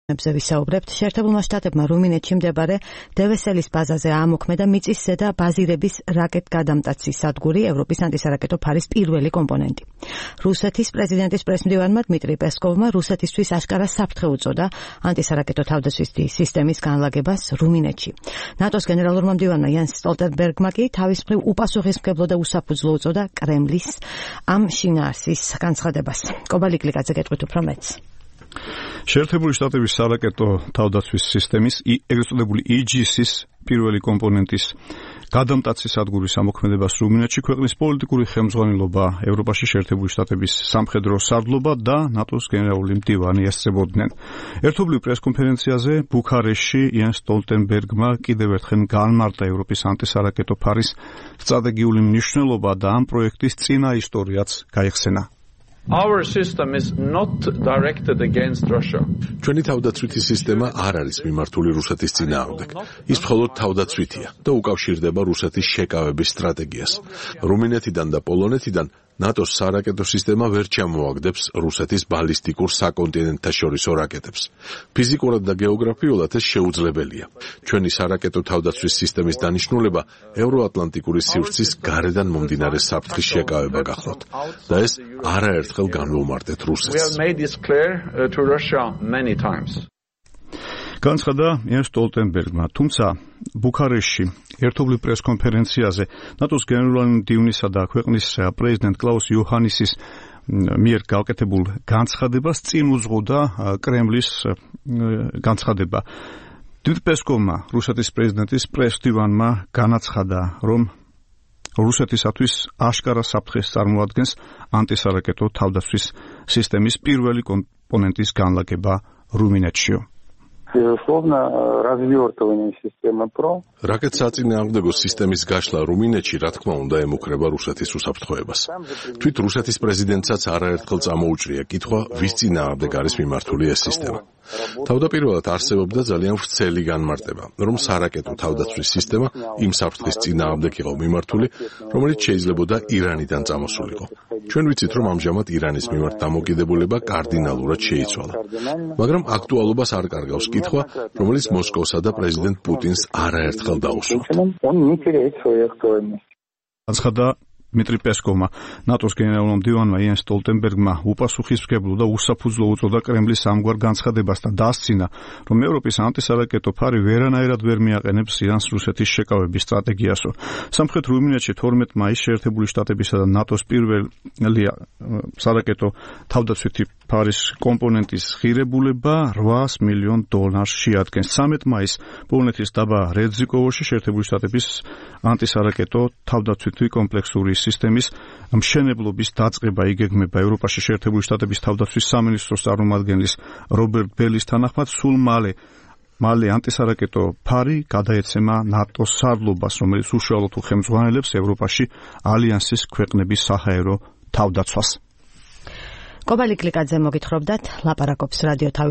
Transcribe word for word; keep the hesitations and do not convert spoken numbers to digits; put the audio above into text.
ებზე ვისაუბრებთ. შეერთებულმა შტატებმა რუმინეთში მდებარე დევესელის ბაზაზე აამოქმედა მიწის ზედა ბაზირების რაკეტგადამტაცის სადგური, ევროპის ანტისარაკეტო ფარის პირველი კომპონენტი. რუსეთის პრეზიდენტის პრესმდივანმა დმიტრი პესკოვმა რუსეთისთვის აშკარა საფრთხე უწოდა ანტისარაკეტო თავდაცვის სისტემის განლაგებას რუმინეთში. ნატოს გენერალურმა მდივანმა იანს სტოლტენბერგმა კი თავის მხრივ უპასუხისმგებლო და უსაფუძვლო უწოდა კრემლის ამ შინაარსის განცხადებას. კობალი კლიკაძე გეტყვით უფრო მეტს. შეერთებული შტატების სარაკეტო თავდაცვის სისტემის ეგრეთ წოდებული ი ჯი ეს-ის პირველი კომპონენტის გადამტაცის სადგურის ამოქმედებას რუმინეთში ქვეყნის პოლიტიკური ხელმძღვანელობა, ევროპაში შეერთებული შტატების სამხედრო სარდლობა და ნატოს გენერალური მდივანი ესწრებოდნენ. ერთობლივ პრესკონფერენციაზე ბუქარესტში იანს სტოლტენბერგმა კიდევ ერთხელ განმარტა ევროპის ანტისარაკეტო ფარის სტრატეგიული მნიშვნელობა და ამ პროექტის წინა ისტორიაც გაიხსენა. Our system is not directed against Russia. ჩვენი თავდაცვითი სისტემა არ არის მიმართული რუსეთის წინააღმდეგ. ის მხოლოდ თავდაცვითია და უკავშირდება რუსეთის შეკავების სტრატეგიას. რუმინეთიდან და პოლონეთიდან ნატოს სარაკეტო სისტემა ვერ ჩამოაგდებს რუსეთის ბალისტიკურ საკონტინენტთაშორისო რაკეტებს. ფიზიკურად და გეოგრაფიულად ეს შეუძლებელია. ჩვენი სარაკეტო თავდაცვის სისტემის დანიშნულება ევროატლანტიკური სივრცის გარედან მომდინარე საფრთხის შეკავება გახლავთ და ეს არაერთხელ განვუმარტეთ რუსეთს. განცხადა იანს სტოლტენბერგმა, თუმცა ბუქარესტში ერთობლივ პრესკონფერენციაზე ნატოს გენერალური მდივნისა და ქვეყნის პრეზიდენტ კლაუს იოჰანისის მიერ გავკეთებულ განცხადებას წინ უძღოდა კრემლის განცხადება. დმიტრი პესკოვმა, რუსეთის პრეზიდენტის პრესმდივანმა განაცხადა, რომ რუსეთისათვის აშკარა საფრთხეს წარმოადგენს ანტისარაკეტო თავდაცვის სისტემის პირველი კომპონენტის განლაგება რუმინეთშიო. Безусловно, развертывание системы ПРО. რაკეტსაწინააღმდეგო სისტემის გაშლა რუმინეთში, რა თქმა უნდა, ემუქრება რუსეთის უსაფრთხოებას. თვით რუსეთის პრეზიდენტსაც არაერთხელ წამოუჭრია კითხვა, ვის წინააღმდეგ არის მიმართული ეს სისტემა. თავდაპირველად არსებობდა ძალიან ვრცელი განმარტება, რომ სარაკეტო თავდაცვის სისტემა იმ საფრთხის წინააღმდეგ იყო მიმართული, რომელიც შეიძლებოდა ირანიდან წამოსულიყო. ჩვენ ვიცით, რომ ამჟამად ირანის მიმართ დამოკიდებულება კარდინალურად შეიცვალა. მაგრამ აქტუალობას არ კარგავს კითხვა, რომელიც მოსკოვსა და პრეზიდენტ პუტინს არაერთხელ დაუსვათ. განცხადა დმიტრი პესკოვმა, ნატოს გენერალურმა მდივანმა იანს სტოლტენბერგმა უპასუხისმგებლო და უსაფუძვლო უწოდა კრემლის ამგვარ განცხადებას და დასცინა, რომ ევროპის ანტისარაკეტო ფარი ვერანაირად ვერ მიაყენებს ირანს რუსეთის შეკავების სტრატეგიასო. სამხრეთ რუმინეთში თორმეტ მაისს შეერთებული შტატებისა და ნატოს პირველი სარაკეტო თავდაცვითი ფარის კომპონენტის ღირებულება რვაას მილიონ დოლარს შეადგენს. ცამეტ მაისს პოლონეთის დაბა რედზიკოვოში შეერთებული შტატების ანტისარაკეტო თავდაცვითი კომპლექსური სისტემის მშენებლობის დაწყება იგეგმება ევროპაში შეერთებული შტატების თავდაცვის სამინისტროს წარმომადგენლის რობერტ ბელის თანახმად სულ მალე მალე ანტისარაკეტო ფარი გადაეცემა ნატოს სარდლობას, რომელიც უშუალოდ უხელმძღვანელებს ევროპაში ალიანსის ქვეყნების საჰაერო თავდაცვას. კობალი კლიკაძე მოგითხრობდათ, ლაპარაკობს რადიო თავის